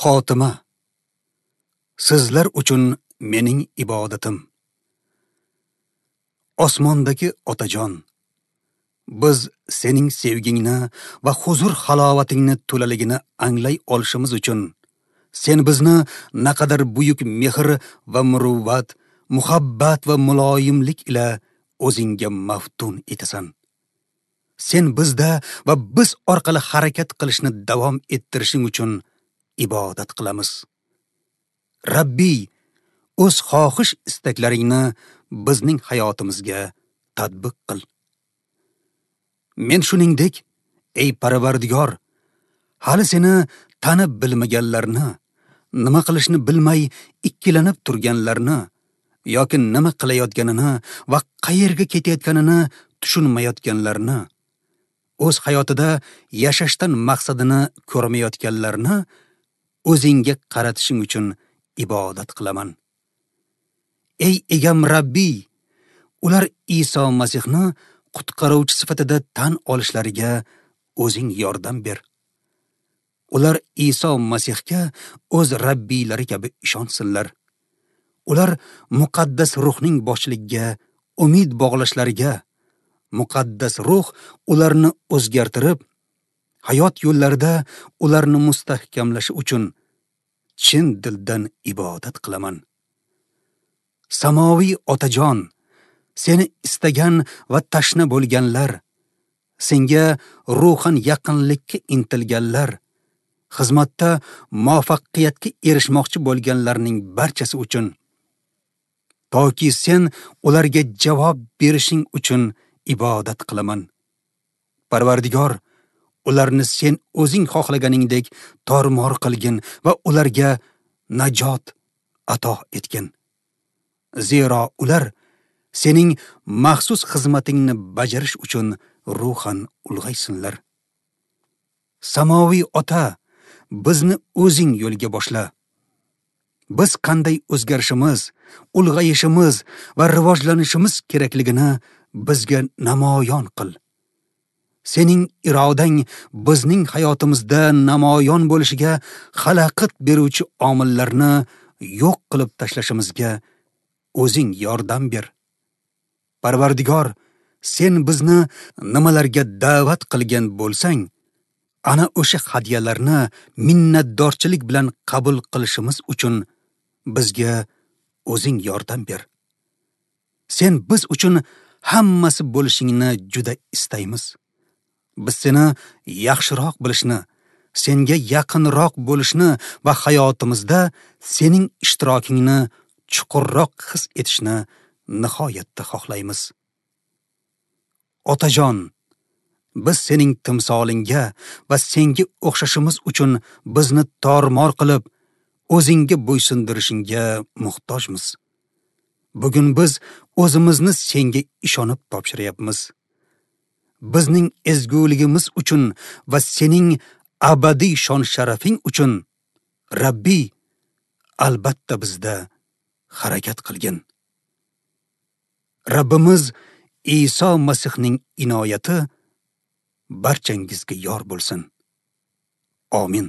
Xotima. Sizlar uchun mening ibodatim. Osmondagi Otajon, biz sening sevgingni va huzur halovatingni to'laligini anglay olishimiz uchun sen bizni naqadar buyuk mehr va muruvvat, muhabbat va muloyimlik ila o'zingga maftun etasan. Sen bizda va biz orqali harakat qilishni davom ettirishing uchun ibodat qilamiz. Rabbiy, o'z xohish istaklaringni bizning hayotimizga tatbiq qil. Men shuningdek, ey Parvardigor, hali seni tanib bilmaganlarni, nima qilishni bilmay ikkilanib turganlarni yoki nima qilayotganini va qayerga ketayotganini tushunmayotganlarni, o'z hayotida yashashdan maqsadini ko'rmayotganlarni o'zingga qaratishing uchun ibodat qilaman. Ey egam Rabbiy, ular Iso Masihni qutqaruvchi sifatida tan olishlariga o'zing yordam ber. Ular Iso Masihga o'z Rabbiylari kabi ishonsinlar. Ular muqaddas ruhning boshchiligiga umid bog'lashlariga, muqaddas ruh ularni o'zgartirib, hayot yo'llarida ularni mustahkamlashi uchun chin dildan ibodat qilaman. Samoviy Otajon, seni istagan va tashna bo'lganlar, senga ruhan yaqinlikka intilganlar, xizmatda muvaffaqiyatga erishmoqchi bo'lganlarning barchasi uchun, toki sen ularga javob berishing uchun ibodat qilaman. Parvardigor, ularni sen o'zing xohlaganingdek tormor qilgin va ularga najot ato etgin. Zero ular sening maxsus xizmatingni bajarish uchun ruhan ulg'aysinlar. Samoviy Ota, bizni o'zing yo'lga boshla. Biz qanday o'zgarishimiz, ulg'ayishimiz va rivojlanishimiz kerakligini bizga namoyon qil. Sening irodang bizning hayotimizda namoyon bo'lishiga xalaqit beruvchi omillarni yo'q qilib tashlashimizga o'zing yordam ber. Parvardigor, sen bizni nimalarga da'vat qilgan bo'lsang, ana o'sha hadyalarni minnatdorchilik bilan qabul qilishimiz uchun bizga o'zing yordam ber. Sen biz uchun hammasi bo'lishingni juda istaymiz. Biz seni yaxshiroq bilishni, senga yaqinroq bo'lishni va hayotimizda sening ishtirokingni chuqurroq his etishni nihoyatda xohlaymiz. Otajon, biz sening timsolingga va senga o'xshashimiz uchun bizni tormor qilib, o'zingga bo'ysundirishingga muhtojmiz. Bugun biz o'zimizni senga ishonib topshiryapmiz. Bizning ezguligimiz uchun va sening abadiy shon-sharafing uchun Rabbiy, albatta bizda harakat qilgin. Rabbimiz Iso Masihning inoyati barchangizga yor bo'lsin. Amin.